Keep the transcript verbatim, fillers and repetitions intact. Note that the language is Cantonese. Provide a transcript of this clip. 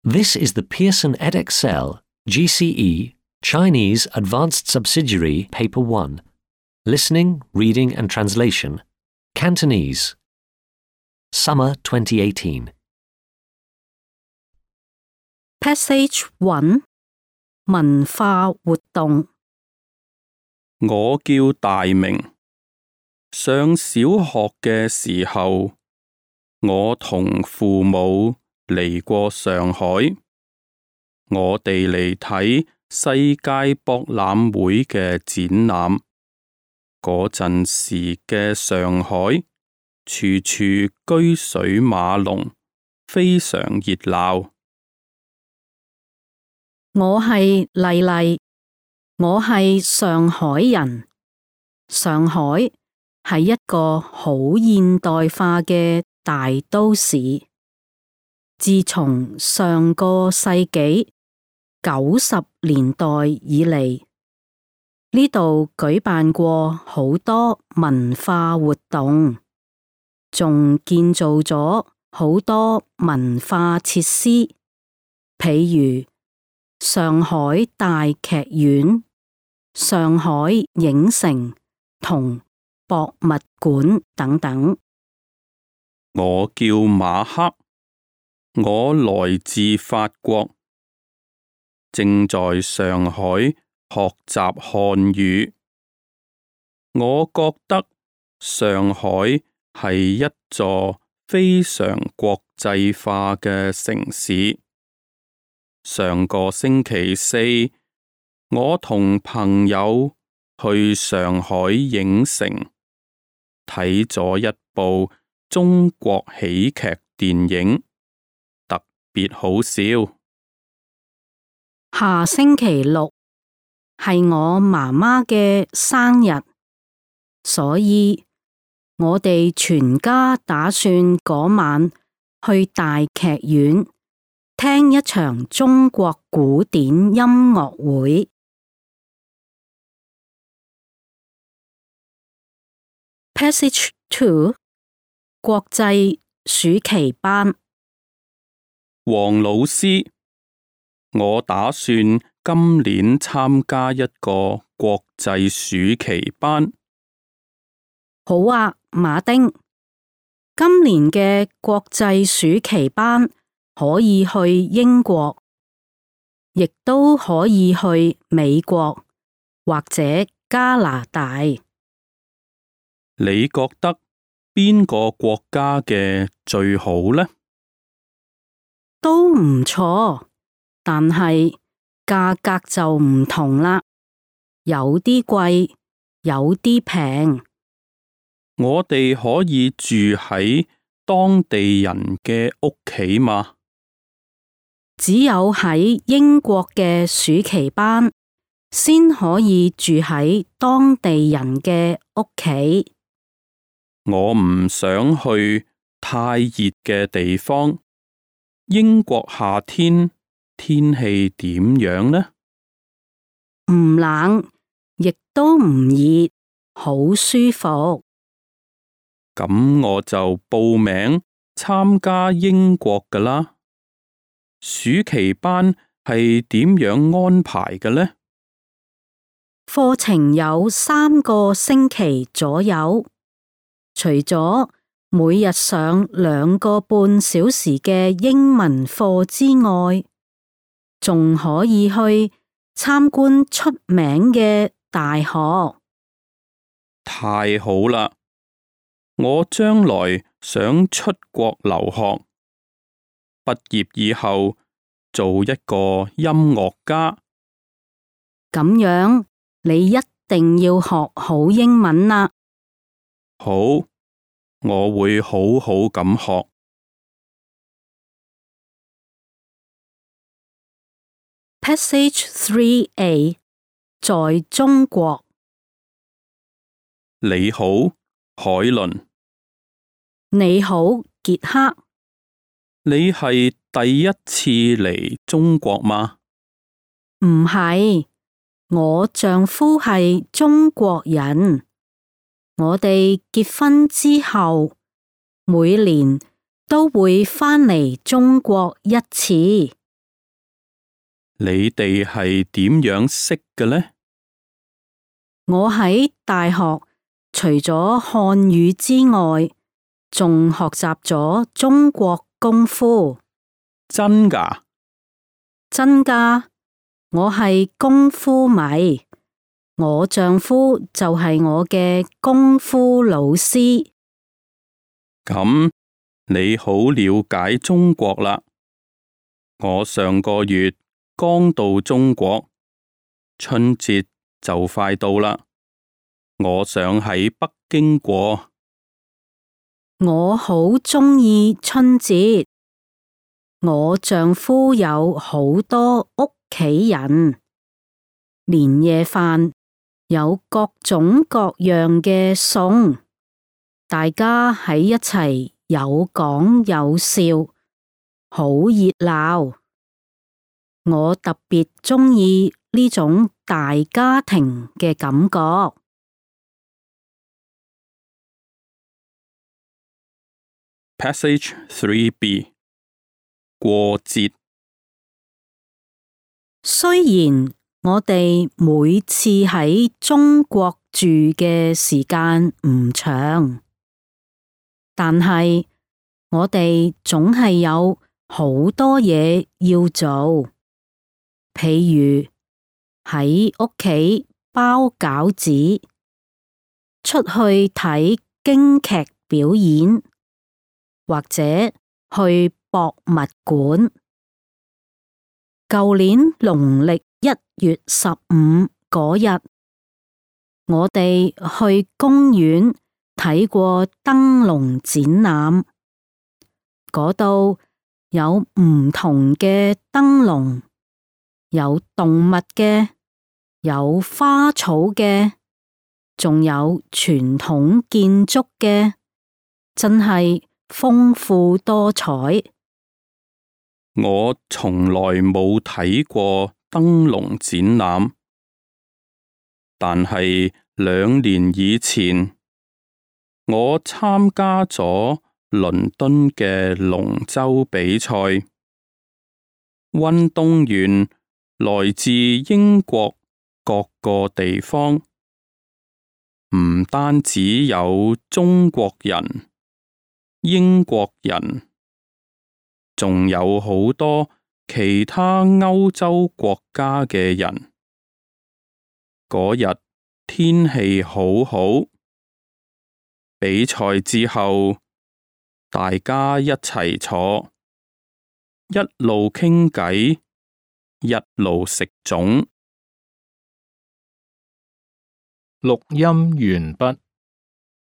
This is the Pearson Edexcel G C E Chinese Advanced Subsidiary Paper one. Listening, Reading and Translation. Cantonese. Summer twenty eighteen. Passage one 文化活動。我叫大明，上小學嘅時候，我同父母嚟過上海，我哋嚟睇世界博覽會嘅展覽。嗰陣時嘅上海，處處車水馬龍，非常熱鬧。我係麗麗，我係上海人。上海係一個好現代化嘅大都市。自從上個世紀九十年代以嚟，呢度舉辦過好多文化活動，仲建造咗好多文化設施，譬如上海大劇院、上海影城同博物館等等。我叫馬克，我來自法國，正在上海學習漢語。我覺得上海係一座非常國際化嘅城市。上個星期四，我同朋友去上海影城睇咗一部中國喜劇電影，特別好笑。下星期六係我媽媽嘅生日，所以我哋全家打算嗰晚去大劇院聽一場中國古典音樂會。Passage two 國際暑期班。黃老師，我打算今年參加一個國際暑期班。好啊，馬丁。今年嘅國際暑期班可以去英國，亦都可以去美國或者加拿大。你覺得邊個國家嘅最好呢？都唔錯，但係價格就唔同啦，有啲貴，有啲平。我哋可以住喺當地人嘅屋企嘛？只有喺英國嘅暑期班先可以住喺當地人嘅屋企。我唔想去太熱嘅地方。英國夏天天氣點樣呢？唔冷，亦都唔熱，好舒服。咁我就報名參加英國㗎啦。暑期班係點樣安排嘅呢？課程有三個星期左右，除咗每日上兩個半小時嘅英文課之外，仲可以去參觀出名嘅大學。太好啦！我將來想出國留學，畢業以後做一個音樂家。咁樣你一定要學好英文啦。好，我會好好咁學。Passage three A 在中國。你好，海倫。你好，傑克。你係第一次嚟中國嗎？唔係，我丈夫係中國人。我哋結婚之後，每年都會返嚟中國一次。你哋係點樣識嘅呢？我喺大學除咗漢語之外，仲學習咗中國功夫。真㗎？真㗎，我係功夫迷，我丈夫就係我嘅功夫老師。咁你好了解中國啦。我上個月剛到中國，春節就快到啦。我想喺北京過。我好鍾意春節。我丈夫有好多屋企人，年夜飯有各種各樣嘅餸，大家喺一齊有講有笑，好熱鬧。我特別鍾意呢種大家庭嘅感覺。Passage three B 過節。雖然我哋每次喺中國住嘅時間唔長，但係我哋總係有好多嘢要做，譬如喺屋企包餃子，出去睇京劇表演，或者去博物館。舊年農曆一月十五嗰日，我哋去公園睇過燈籠展覽，嗰度有唔同嘅燈籠，有動物嘅，有花草嘅，仲有傳統建築嘅，真係豐富多彩。我從來冇睇過燈籠展覽，但係兩年以前，我參加咗倫敦嘅龍舟比賽。運動員來自英國各個地方，唔單止有中國人、英國人，仲有好多其他歐洲國家嘅人。嗰日天氣好好，比賽之後，大家一齊坐，一路傾偈，一路食粽。錄音完畢。